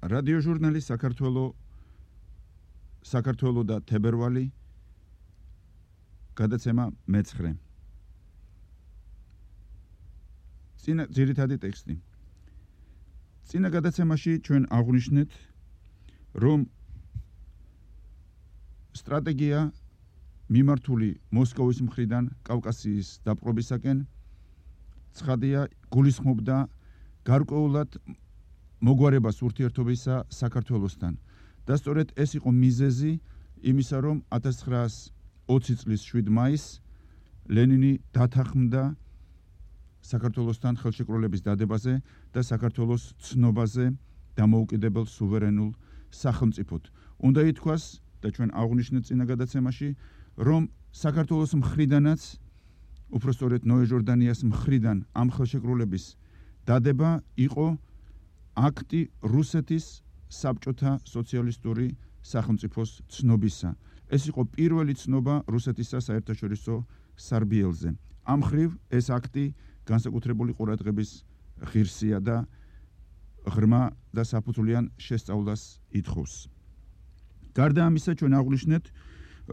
რადიოჟურნალი საქართველო და თებერვალი გადაცემა მე-9. წინა ძირითადი ტექსტი. წინა გადაცემაში ჩვენ აღვნიშნეთ, რომ სტრატეგია მიმართული მოსკოვის მხრიდან კავკასიის დაპყრობისაკენ ცხადია გულისხმობდა გარკვეულად მოგვარებას ურთიერთობისა საქართველოსთან. და სწორედ ეს იყო მიზეზი იმისა, რომ 1920 წლის 7 მაისს ლენინი დათანხმდა საქართველოსთან ხელშეკრულების დადებაზე და საქართველოს ცნობაზე დამოუკიდებელ სუვერენულ სახელმწიფოდ. უნდა ითქვას და ჩვენ აღვნიშნეთ წინა გადაცემაში, რომ საქართველოს მხრიდანაც, უпростоრეთ ნოე ჟორდანიას მხრიდან ამ ხელშეკრულების დადება იყო აქტი რუსეთის საბჭოთა სოციალისტური სახელმწიფოს ცნობისა. ეს იყო პირველი ცნობა რუსეთისა საერთაშორისო სარბიელზე. ამ ხრივ ეს აქტი განსაკუთრებული ყურადღების ღირსია და ღრმა და საფუძვლიან შესწავლას ითხოვს. გარდა ამისა, ჩვენ აღვნიშნეთ,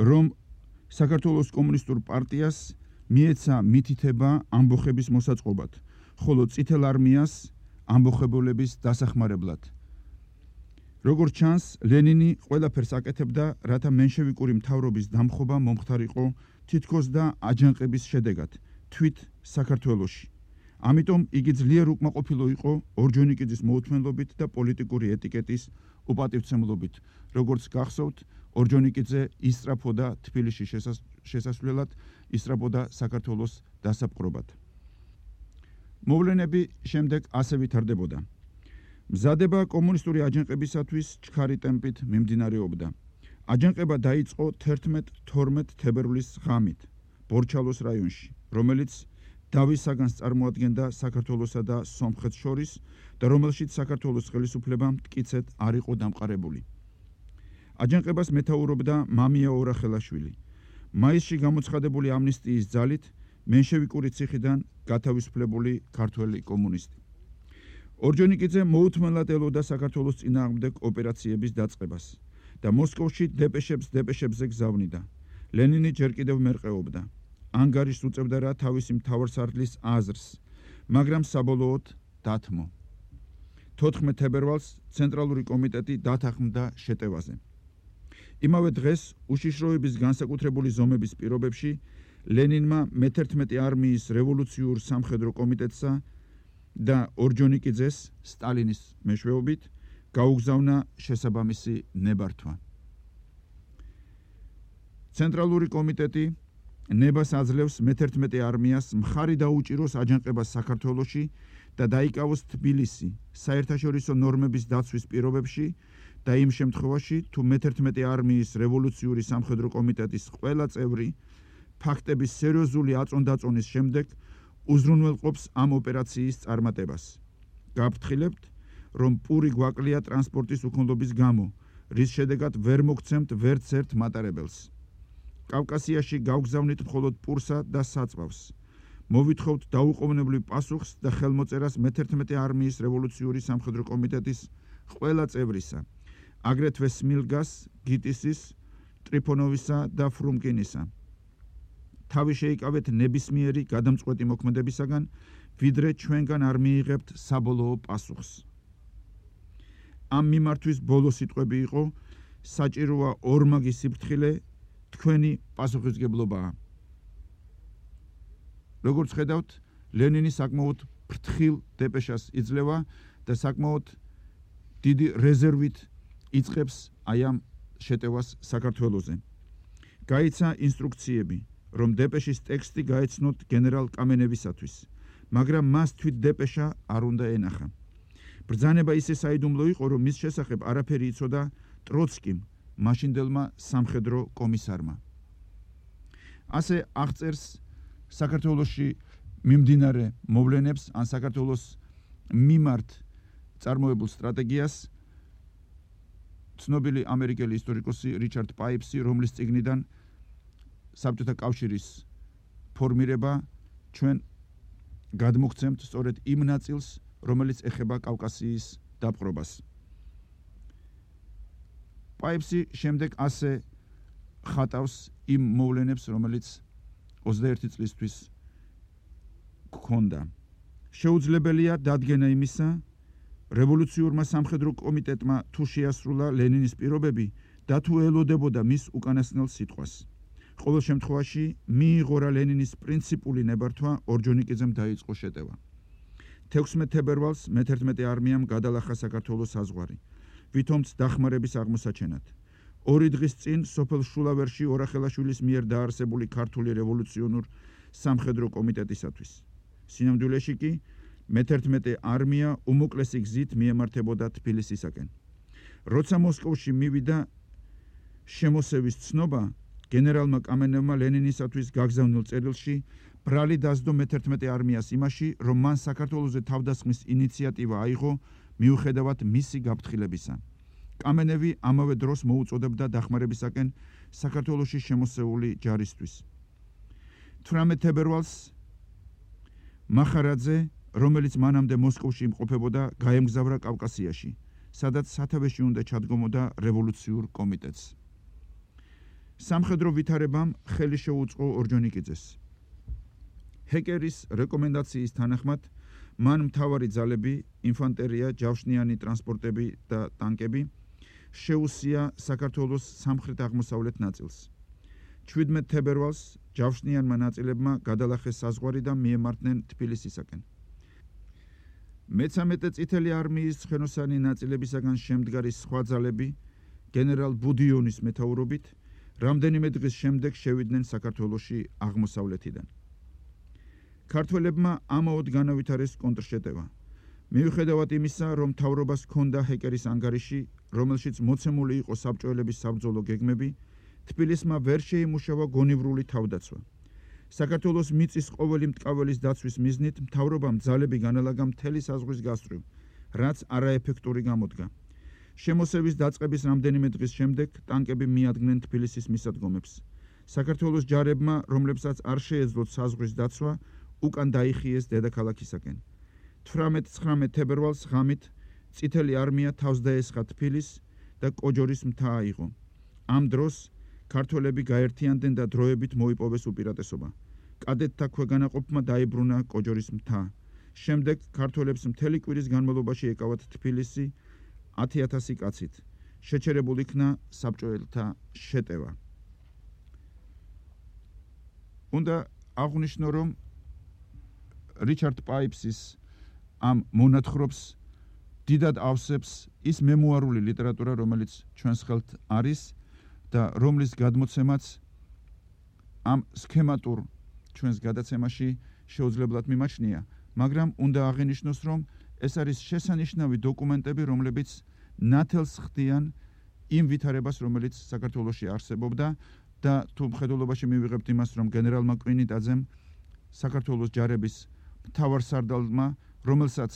რომ საქართველოს კომუნისტურ პარტიას მიეცა მითითება ამბოხების მოსაწყობად, ხოლო წითელ არმიას ამბოხებულების დასახმარებლად. როგორც ჩანს, ლენინი ყველაფერს აკეთებდა, რათა მენშევიკური მთავრობის დამხობა მომხდარიყო თითქოს და აჯანყების შედეგად, თვით საქართველოში. ამიტომ იგი ძლიერ უკმაყოფილო იყო ორჯონიკიძის მოუთმენლობით და პოლიტიკური ეტიკეტის უპატივცემლობით. როგორც გახსოვთ, ორჯონიკიძე ისწრაფოდა თბილისში შესასვლელად, ისწრაფოდა საქართველოს დასაპყრობად. მოვლენები შემდეგ ასე ვითარდებოდა. მზადება კომუნისტური აჯანყებისათვის ჩქარი ტემპით მიმდინარეობდა. აჯანყება დაიწყო 11-12 თებერვლის ღამით ბორჩალოს რაიონში, რომელიც დავის საგანს წარმოადგენდა საქართველოსა და სომხეთს შორის და რომელშიც საქართველოს ხელისუფლებამ მტკიცედ არ იყო დამყარებული. აჯანყებას მეთაურობდა მამია ორახელაშვილი. მაისში გამოცხადებული ამნისტიის ძალით მენშევიკური ციხიდან გათავისუფლებული ქართველი კომუნისტი. ორჯონიკიძე მოუთმენლად ელოდა საქართველოს წინააღმდეგ ოპერაციების დაწყებას და მოსკოვში დეპეშებზე გზავნიდა. ლენინი ჯერ კიდევ მერყეობდა. ანგარიშს უწევდა რა თავისი მთავარსარდლის აზრს, მაგრამ საბოლოოდ დათმო. 14 თებერვალს ცენტრალური კომიტეტი დათანხმდა შეტევაზე. იმავე დღეს უშიშროების განსაკუთრებული ზომების პირობებში ლენინმა მე-11 არმიის რევოლუციურ სამხედრო კომიტეტსა და ორჯონიკიძეს სტალინის მეშვეობით გაუგზავნა შესაბამისი ნებართვა. ცენტრალური კომიტეტი ნებას აძლევს მე-11 არმიას მხარი დაუჭიროს აჯანყებას საქართველოში და დაიკავოს თბილისი საერთაშორისო ნორმების დაცვის პირობებში და იმ შემთხვევაში, თუ მე-11 არმიის რევოლუციური სამხედრო კომიტეტის ყველა წევრი ფაქტების სერიოზული აწონდაწონის შემდეგ უზრუნველყოფს ამ ოპერაციის წარმატებას. გაფრთხილებთ, რომ პური გვაკლია ტრანსპორტის უქონლობის გამო, რის შედეგად ვერ მოგცემთ ვერც ერთ მატარებელს. კავკასიაში გავგზავნით მხოლოდ პურსა და საწვავს. მოვითხოვთ დაუყოვნებლივ პასუხს და ხელმოწერას მე-11 არმიის რევოლუციური სამხედრო კომიტეტის ყველა წევრისა, აგრეთვე სმილგას, გიტისის, ტრიფონოვისა და ფრუმკინისა. თავი შეიკავეთ ნებისმიერი გადამწყვეტი მოქმედებისაგან, ვიდრე ჩვენგან არ მიიღებთ საბოლოო პასუხს. ამ მიმართვის ბოლო სიტყვები იყო, საჭიროა ორმაგი სიფრთხილე, თქვენი პასუხისმგებლობაა. როგორც ხედავთ, ლენინი საკმაოდ ფრთხილ დეპეშას იძლევა და საკმაოდ დიდი რეზერვით იწყებს აი ამ შეტევას საქართველოზე. გაიცა ინსტრუქციები, რომ დეპეშის ტექსტი გაეცნოთ გენერალ კამენევისათვის, მაგრამ მას თვით დეპეშა არ უნდა ენახა. ბრძანება ისე საიდუმლო იყო, რომ მის შესახებ არაფერი იცოდა ტროცკიმ, მაშინდელმა სამხედრო კომისარმა. ასე აღწერს საქართველოში მიმდინარე მოვლენებს ან საქართველოს მიმართ წარმოებულ სტრატეგიას ცნობილი ამერიკელი ისტორიკოსი რიჩარდ პაიპსი, რომლის წიგნიდან საბჭოთა კავშირის ფორმირება ჩვენ გადმოგცემთ სწორედ იმ ნაწილს, რომელიც ეხება კავკასიის დაპყრობას. პაიფსი შემდეგ ასე ხატავს იმ მოვლენებს, რომელიც 21 წლისთვის გქონდა. შეუძლებელია დადგენა იმისა, რევოლუციურმა სამხედრო კომიტეტმა თუ შეასრულა ლენინის პირობები და თუ ელოდებოდა მის უკანასკნელ სიტყვას. ყოველ შემთხვევაში მიიღო რა ლენინის პრინციპული ნებართვა ორჯონიკიძემ დაიწყო შეტევა. 16 თებერვალს მე-11 არმიამ გადალახა საქართველოს საზღვარი, ვითომც დახმარების აღმოსაჩენად. 2 დღის წინ სოფელ შულავერში ორახელაშვილის მიერ დაარსებული ქართული რევოლუციონურ სამხედრო კომიტეტისათვის. სინამდვილეში კი მე-11 არმია უმოკლესი გზით მიემართებოდა თბილისისაკენ. როცა მოსკოვში მივიდა შემოსევის ცნობა, გენერალმა კამენევმა ლენინისათვის გაგზავნილ წერილში ბრალი დასდო მე-11 არმიას იმაში, რომ მან საქართველოზე თავდასხმის ინიციატივა აიღო მიუხედავად მისი გაფრთხილებისა. კამენევი ამავე დროს მოუწოდებდა დახმარებისაკენ საქართველოში შემოსეული ჯარისთვის. 18 თებერვალს მახარაძე, რომელიც მანამდე მოსკოვში იმყოფებოდა, გაემგზავრა კავკასიაში, სადაც სათავეში უნდა ჩადგომოდა რევოლუციურ კომიტეტს. სამხედრო ვითარებამ ხელი შეუწყო ორჯონიკიძეს. ჰეკერის რეკომენდაციის თანახმად მან მთავარი ძალები, ინფანტერია, ჯავშნიანი ტრანსპორტები და ტანკები შეუსია საქართველოს სამხრეთ-აღმოსავლეთ ნაწილს. 17 თებერვალს ჯავშნიანმა ნაწილებმა გადალახეს საზღვარი და მიემართნენ თბილისისაკენ. მე-13 წითელი არმიის ცხენოსანი ნაწილებისაგან შემდგარი სხვა ძალები გენერალ ბუდიონის მეთაურობით რამდენიმე დღის შემდეგ შევიდნენ საქართველოში აღმოსავლეთიდან. ქართველებმა ამაოდ განავითარეს კონტრშეტევა. მიუხედავად იმისა, რომ მთავრობას ჰქონდა ჰეკერის ანგარიში, რომელშიც მოცემული იყო საბჭოელების საბრძოლო გეგმები, თბილისმა ვერ შეიმუშავა გონივრული თავდაცვა. საქართველოს მიწის ყოველი მტკაველის დაცვის მიზნით მთავრობამ ძალები განალაგა მთელი საზღვრის გასწვრივ, რაც არაეფექტური გამოდგა. შემოსევის დაწყების რამდენიმე დღის შემდეგ ტანკები მიადგნენ თბილისის მისადგომებს. საქართველოს ჯარებმა, რომლებსაც არ შეეძლოთ საზღვრის დაცვა, უკან დაიხიეს დედაქალაქისაკენ. 18-19 თებერვალს ღამით წითელი არმია თავს დაესხა თბილის და კოჯორის მთა აიღო. ამ დროს ქართველები გაერთიანდნენ და დროებით მოიპოვეს უპირატესობა. კადეტთა ქვეგანაყოფმა დაიბრუნა კოჯორის მთა. შემდეგ ქართველებს მთელი კვირის განმავლობაში ეკავათ თბილისი 10,000 კაცით. შეჩერებულ იქნა საბჭოელთა შეტევა. უნდა აღვნიშნო, რომ რიჩარდ პაიფსის ამ მონათხრობს დიდად ავსებს ის მემუარული ლიტერატურა, რომელიც ჩვენს ხელთ არის და რომლის გადმოცემაც ამ სქემატურ ჩვენს გადაცემაში შეუძლებლად მიმაჩნია, მაგრამ უნდა აღინიშნოს, რომ ეს არის შესანიშნავი დოკუმენტები, რომლებიც ნათელს ხდიან იმ ვითარებას, რომელიც საქართველოში არსებობდა და თუ მხედველობაში მივიღებთ იმას, რომ გენერალმა კვინიტაძემ საქართველოს ჯარების მთავარსარდალმა, რომელსაც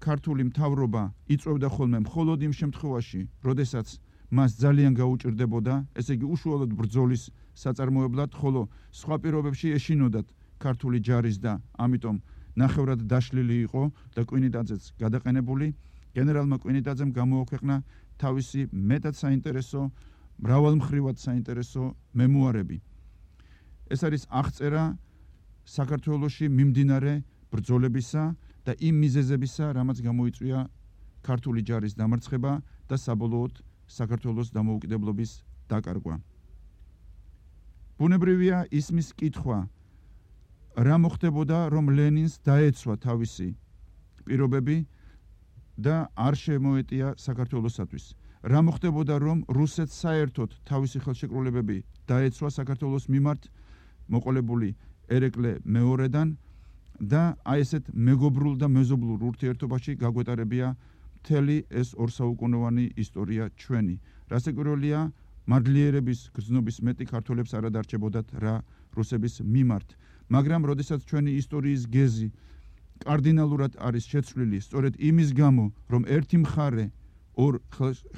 ქართული მთავრობა იწვევდა ხოლმე მხოლოდ იმ შემთხვევაში, როდესაც მას ძალიან გაუჭირდებოდა, ესე იგი უშუალოდ ბრძოლის საწარმოებლად, ხოლო სხვა პირობებში ეშინოდათ ქართული ჯარის და ამიტომ ნახევრად დაშლილი იყო და კვინიტაძეც გადაყენებული, გენერალმა კვინიტაძემ გამოაქვეყნა თავისი მეტად საინტერესო, მრავალმხრივად საინტერესო მემუარები. ეს არის აღწერა საქართველოში მიმდინარე ბრძოლებისა და იმ მიზეზებისა, რამაც გამოიწვია ქართული ჯარის დამარცხება და საბოლოოდ საქართველოს დამოუკიდებლობის დაკარგვა. ბუნებრივია ისმის კითხვა, რა მოხდებოდა, რომ ლენინს დაეცვა თავისი პირობები და არ შემოეტია საქართველოსათვის. რა მოხდებოდა, რომ რუსეთს საერთოდ თავისი ხელშეკრულებები დაეცვა საქართველოს მიმართ მოყოლებული ერეკლე მეორედან და აი ესეთ მეგობრულ და მეზობლურ ურთიერთობაში გაგვეტარებია მთელი ეს ორსაუკუნოვანი ისტორია ჩვენი. რასაკვირველია, მადლიერების გრძნობის მეტი ქართველებს არ ადარჩებოდათ რა რუსების მიმართ, მაგრამ როდესაც ჩვენი ისტორიის გეზი კარდინალურად არის შეცვლილი სწორედ იმის გამო, რომ ერთი მხარე ორ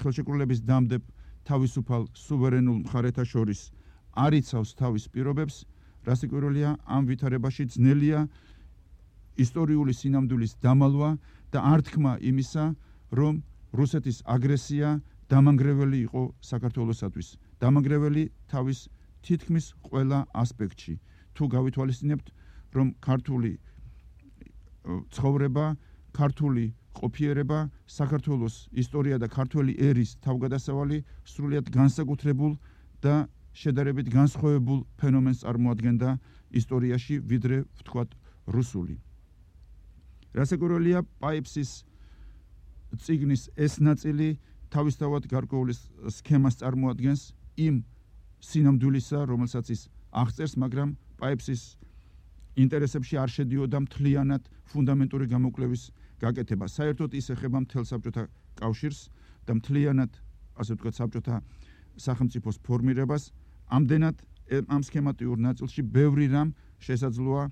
ხელშეკრულების დამდებ თავისუფალ სუვერენულ მხარეთა შორის არ იცავს თავის პირობებს, რასაკვირველია, ამ ვითარებაში ძნელია ისტორიული სინამდვილის დამალვა და არ თქმა იმისა, რომ რუსეთის აგრესია დამანგრეველი იყო საქართველოსათვის. დამანგრეველი თავის თითქმის ყველა ასპექტში. თუ გავითვალისწინებთ, რომ ქართული ცხოვრება, ქართული ყოფიერება, საქართველოს ისტორია და ქართველი ერის თავგადასავალი სრულიად განსაკუთრებულ და შედარებით განსხვავებულ ფენომენს წარმოადგენდა ისტორიაში, ვიდრე ვთქვათ რუსული. რასაკვირველია, პაიფსის წიგნის ეს ნაწილი თავისთავად გარკვეული სქემას წარმოადგენს იმ სინამდვილისა, რომელსაც ის აღწერს, მაგრამ პაიფსის ინტერესებში არ შედიოდა მთლიანად ფუნდამენტური გამოკვლევის გაკეთება. საერთოდ ის ეხება მთელ საბჭოთა კავშირს და მთლიანად, ასე ვთქვათ, საბჭოთა სახელმწიფოს ფორმირებას. ამდენად ამ სქემატიურ ნაწილში ბევრი რამ შესაძლოა,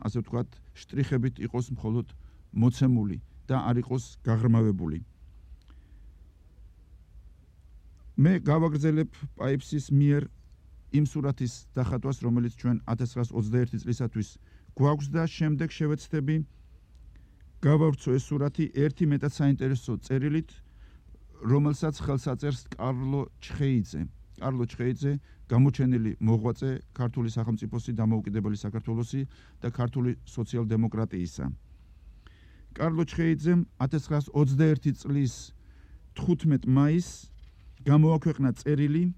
ასე ვთქვათ, შტრიხებით იყოს მხოლოდ მოცემული და არ იყოს გაღრმავებული. მე გავაგრძელებ პაიფსის მიერ იმ სურათის დახატვას, რომელიც ჩვენ 1921 წლისათვის გვაქვს და შემდეგ შევეცდები გავავრცო ეს სურათი ერთი მეტად საინტერესო წერილით, რომელსაც ხელს აწერს კარლო ჩხეიძე. კარლო ჩხეიძე გამოჩენილი მოღვაწე ქართული სახელმწიფოსი, დამოუკიდებელი საქართველოსი და ქართული სოციალ-დემოკრატიისა. კარლო ჩხეიძემ 1921 წლის 15 მაისს გამოაქვეყნა წერილი,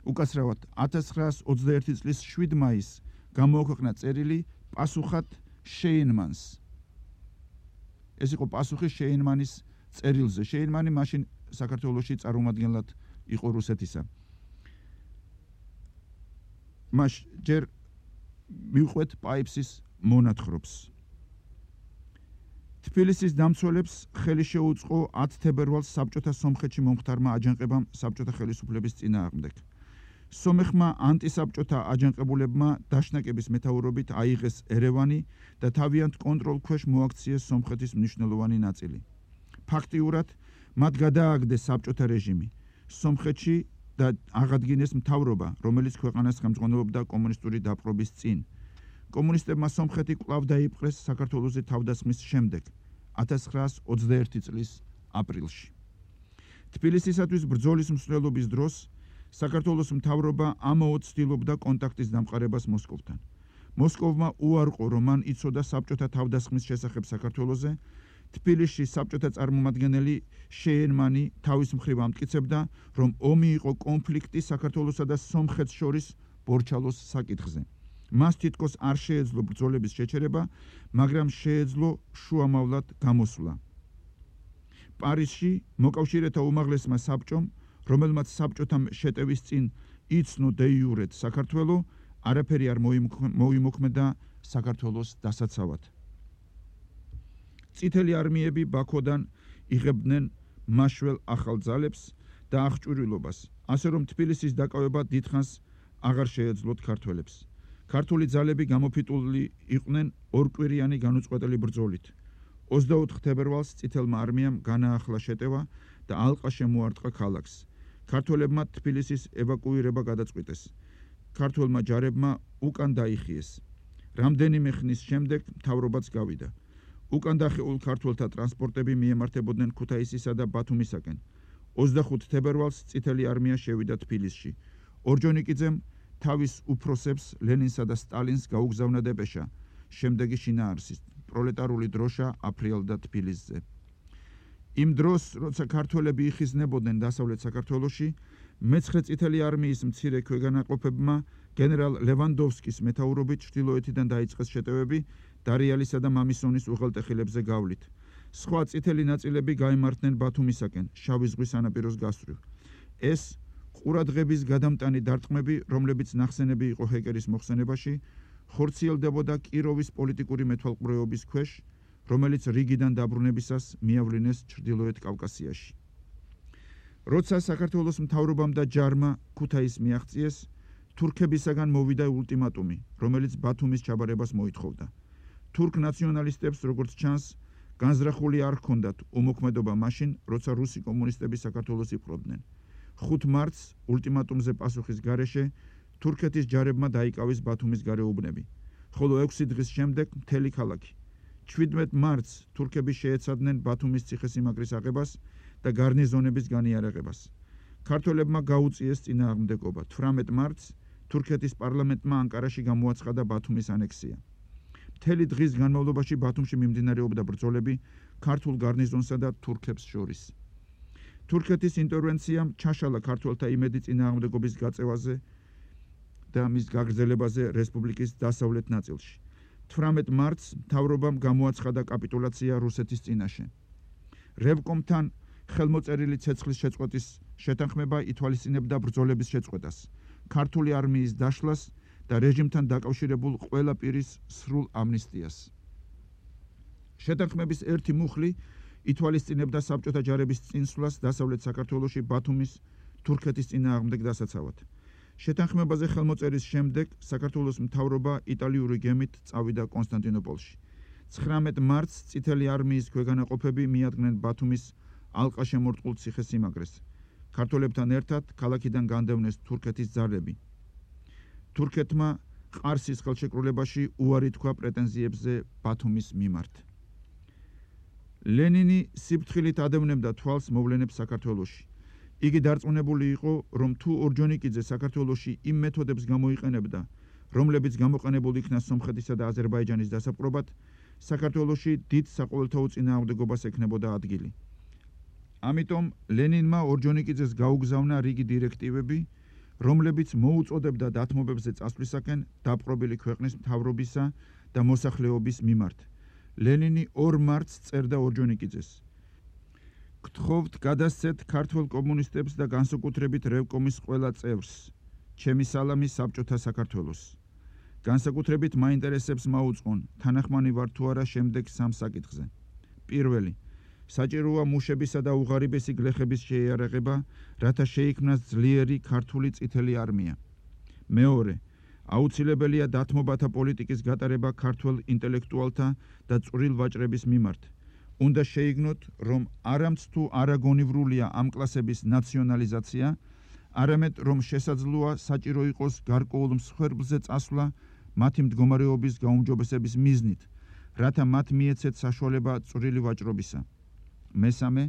უკაცრავად 1921 წლის 7 მაისს გამოაქვეყნა წერილი პასუხად შეინმანს. ეს იყო პასუხი შეინმანის წერილზე. შეინმანი მაშინ საქართველოში წარმომადგენლად იყო რუსეთისა. მას ჯერ მივყვეთ პაიფსის მონათხრობს. თბილისის დამცველებს ხელი შეუწყო 10 თებერვალს საბჭოთა სომხეთში მომხდარმა აჯანყებამ საბჭოთა ხელისუფლების წინააღმდეგ. სომეხმა ანტისაბჭოთა აჯანყებულებმა დაშნაკების მეთაურობით აიღეს ერევანი და თავიანთ კონტროლქვეშ მოაქციეს სომხეთის მნიშვნელოვანი ნაწილი. ფაქტიურად მათ გადააგდეს საბჭოთა რეჟიმი სომხეთში და აღადგინეს მთავრობა, რომელიც ქვეყანას ხელმძღვანელობდა კომუნისტური დაპყრობის წინ. კომუნისტებმა სომხეთი კვლავ დაიპყრეს საქართველოზე თავდასხმის შემდეგ, 1921 წლის აპრილში. თბილისისათვის ბრძოლის მსვლელობის დროს საქართველოს მთავრობა ამაოდ ცდილობდა კონტაქტის დამყარებას მოსკოვთან. მოსკოვმა უარყო, რომ მან იცოდა საბჭოთა თავდასხმის შესახებ საქართველოზე. თბილისში საბჭოთა წარმომადგენელი შეინმანი თავის მხრივ ამტკიცებდა, რომ ომი იყო კონფლიქტი საქართველოსა და სომხეთს შორის ბორჩალოს საკითხზე. მას თითქოს არ შეეძლო ბრძოლების შეჩერება, მაგრამ შეეძლო შუამავლად გამოსვლა. პარიზში მოკავშირეთა უმაღლესმა საბჭომ, რომელმაც საბჭოთა შეტევის წინ იცნო დე იურეთ საქართველო, არაფერი არ მოიმოქმედა საქართველოს დასაცავად. წითელი არმიები ბაქოდან იღებდნენ მაშველ ახალ ძალებს და აღჭურვილობას, ასე რომ თბილისის დაკავება დიდხანს აღარ შეეძლოთ ქართველებს. ქართული ძალები გამოფიტული იყვნენ ორკვირიანი განუწყვეტელი ბრძოლით. 24 თებერვალს წითელმა არმიამ განაახლა შეტევა და ალყა შემოარტყა ქალაქს. ქართველებმა თბილისის ევაკუირება გადაწყვიტეს. ქართველმა ჯარებმა უკან დაიხიეს. რამდენიმე ხნის შემდეგ მთავრობაც გავიდა. უკან დახეულ ქართველთა ტრანსპორტები მიემართებოდნენ ქუთაისისა და ბათუმისაკენ. 25 თებერვალს წითელი არმია შევიდა თბილისში. ორჯონიკიძემ თავის უფროსებს ლენინსა და სტალინს გაუგზავნა დეპეშა. შემდეგი შინაარსის პროლეტარული დროშა აფრიალდა თბილისზე. იმ დროს, როცა ქართველები იხიზნებოდნენ დასავლეთ საქართველოში, მე-9 წითელი არმიის მცირე ქვეგანაყოფებმა გენერალ ლევანდოვსკის მეთაურობით ჩრდილოეთიდან დაიწყეს შეტევები დარიალისა და მამისონის უღელტეხილებზე გავლით. სხვა წითელი ნაწილები გაემართნენ ბათუმისაკენ, შავი ზღვის სანაპიროს გასწვრივ. ეს ყურადღების გადამტანი დარტყმები, რომლებიც ნახსენები იყო ჰეკერის მოხსენებაში, ხორციელდებოდა კიროვის პოლიტიკური მეთვალყურეობის ქვეშ, რომელიც რიგიდან დაბრუნებისას მიავლინეს ჩრდილოეთ კავკასიაში. როცა საქართველოს მთავრობამ და ჯარმა ქუთაისს მიაღწიეს, თურქებისაგან მოვიდა ულტიმატუმი, რომელიც ბათუმის ჩაბარებას მოითხოვდა. თურქ ნაციონალისტებს, როგორც ჩანს, განზრახული არ ჰქონდათ უმოქმედობა მაშინ, როცა რუსი კომუნისტები საქართველოს იპყრობდნენ. 5 მარტს ულტიმატუმზე პასუხის გარეშე თურქეთის ჯარებმა დაიკავეს ბათუმის გარეუბნები, ხოლო 6 დღის შემდეგ მთელი ქალაქი. 17 მარტს თურქები შეეცადნენ ბათუმის ციხესიმაგრის აღებას და გარნიზონების განიარაღებას. ქართველებმა გაუწიეს წინააღმდეგობა. 18 მარტს თურქეთის პარლამენტმა ანკარაში გამოაცხადა ბათუმის ანექსია. მთელი დღის განმავლობაში ბათუმში მიმდინარეობდა ბრძოლები ქართულ გარნიზონსა და თურქებს შორის. თურქეთის ინტერვენციამ ჩაშალა ქართველთა იმედი წინააღმდეგობის გაწევაზე და მის გაგრძელებაზე რესპუბლიკის დასავლეთ ნაწილში. 18 მარტს მთავრობამ გამოაცხადა კაპიტულაცია რუსეთის წინაშე. რევკომთან ხელმოწერილი ცეცხლის შეწყვეტის შეთანხმება ითვალისწინებდა ბრძოლების შეწყვეტას, ქართული არმიის დაშლას და რეჟიმთან დაკავშირებულ ყველა პირის სრულ ამნისტიას. შეთანხმების ერთი მუხლი ითვალისწინებდა საბჭოთა ჯარების წინსვლას დასავლეთ საქართველოში ბათუმის თურქეთის წინააღმდეგ დასაცავად. შეთანხმებაზე ხელმოწერის შემდეგ საქართველოს მთავრობა იტალიური გემით წავიდა კონსტანტინოპოლში. 19 მარტს წითელი არმიის ქვეგანაყოფები მიადგნენ ბათუმის ალყაშემორტყულ ციხესიმაგრეს. ქართველებთან ერთად ქალაქიდან განდევნეს თურქეთის ძალები. თურქეთმა ყარსის ხელშეკრულებაში უარი თქვა პრეტენზიებზე ბათუმის მიმართ. ლენინი სიფრთხილით ადევნებდა თვალს მოვლენებს საქართველოში. იგი დარწმუნებული იყო, რომ თუ ორჯონიკიძე საქართველოში იმ მეთოდებს გამოიყენებდა, რომლებიც გამოყენებულ იქნა სომხეთისა და აზერბაიჯანის დასაპყრობად, საქართველოში დიდ საყოველთაო წინააღმდეგობას ექნებოდა ადგილი. ამიტომ ლენინმა ორჯონიკიძეს გაუგზავნა რიგი დირექტივები, რომლებიც მოუწოდებდა დათმობებზე წასვლისაკენ დაპყრობილი ქვეყნის მთავრობისა და მოსახლეობის მიმართ. ლენინი 2 მარტს წერდა ორჯონიკიძეს: გთხოვთ გადასცეთ ქართველ კომუნისტებს და განსაკუთრებით რევკომის ყველა წევრს ჩემი სალამი საბჭოთა საქართველოს. განსაკუთრებით მაინტერესებს მაუწყონ, თანახმანი ვარ თუ არა შემდეგ 3 საკითხზე. პირველი, საჭიროა მუშებისა და უღარიბესი გლეხების შეიარაღება, რათა შეიქმნას ძლიერი ქართული წითელი არმია. მეორე, აუცილებელია დათმობათა პოლიტიკის გატარება ქართველ ინტელექტუალთა და წვრილ ვაჭრების მიმართ. უნდა შეიგნოთ, რომ არამც თუ არაგონივრულია ამ კლასების ნაციონალიზაცია, არამედ რომ შესაძლოა საჭირო იყოს გარკვეულ მსხვერპლზე წასვლა მათი მდგომარეობის გაუმჯობესების მიზნით, რათა მათ მიეცეთ საშუალება წვრილი ვაჭრობისა. მესამე,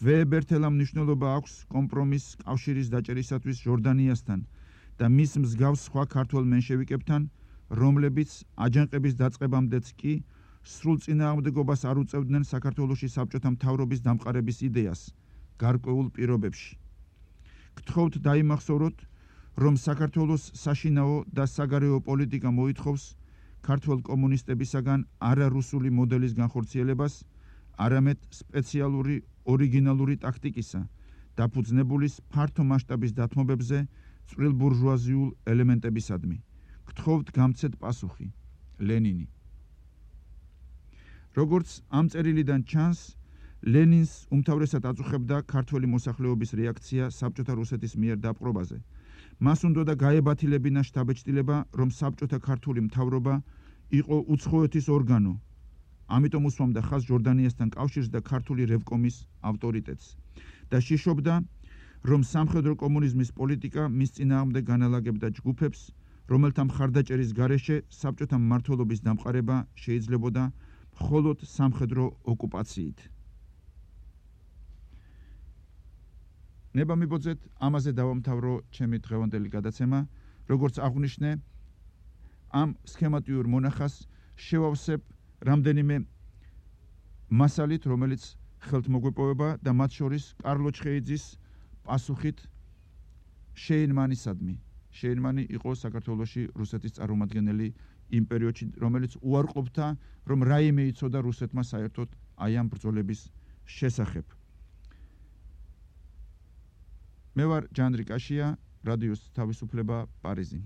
ვეებერთელა მნიშვნელობა აქვს კომპრომის კავშირის დაჭერისათვის ჟორდანიასთან და მის მსგავს სხვა ქართველ მენშევიკებთან, რომლებიც აჯანყების დაწყებამდეც კი სრულ წინააღმდეგობას არ უწევდნენ საქართველოში საბჭოთა მთავრობის დამყარების იდეას გარკვეულ პირობებში. გთხოვთ დაიმახსოვროთ, რომ საქართველოს საშინაო და საგარეო პოლიტიკა მოითხოვს ქართველ კომუნისტებისაგან არარუსული მოდელის განხორციელებას, არამედ სპეციალური ორიგინალური ტაქტიკისა, დაფუძნებულის ფართო მასშტაბის დათმობებზე წვრილ ბურჟუაზიულ ელემენტებისადმი. გთხოვთ გამცეთ პასუხი. ლენინი. როგორც ამ წერილიდან ჩანს, ლენინს უმთავრესად აწუხებდა ქართველი მოსახლეობის რეაქცია საბჭოთა რუსეთის მიერ დაპყრობაზე. მას უნდოდა გაებათილებინა შთაბეჭდილება, რომ საბჭოთა ქართული მთავრობა იყო უცხოეთის ორგანო. ამიტომ უსვამდა ხაზს ჟორდანიასთან კავშირს და ქართული რევკომის ავტორიტეტს და შიშობდა, რომ სამხედრო კომუნიზმის პოლიტიკა მის წინააღმდეგ განალაგებდა ჯგუფებს, რომელთა მხარდაჭერის გარეშე საბჭოთა მმართველობის დამყარება შეიძლებოდა მხოლოდ სამხედრო ოკუპაციით. ნება მიბოძეთ, ამაზე დავამთავრო ჩემი დღევანდელი გადაცემა. როგორც აღვნიშნე, ამ სქემატიურ მონახას შევავსებ რამდენიმე მასალით, რომელიც ხელთ მოგვეპოვება და მათ შორის კარლო ჩხეიძის პასუხით შეინმანისადმი. შეინმანი იყო საქართველოში რუსეთის წარმომადგენელი იმ პერიოდში, რომელიც უარყოფდა, რომ რაიმე იცოდა რუსეთმა საერთოდ აი ამ ბრძოლების შესახებ. მე ვარ ჯანდრი კაშია, რადიოს თავისუფლება, პარიზი.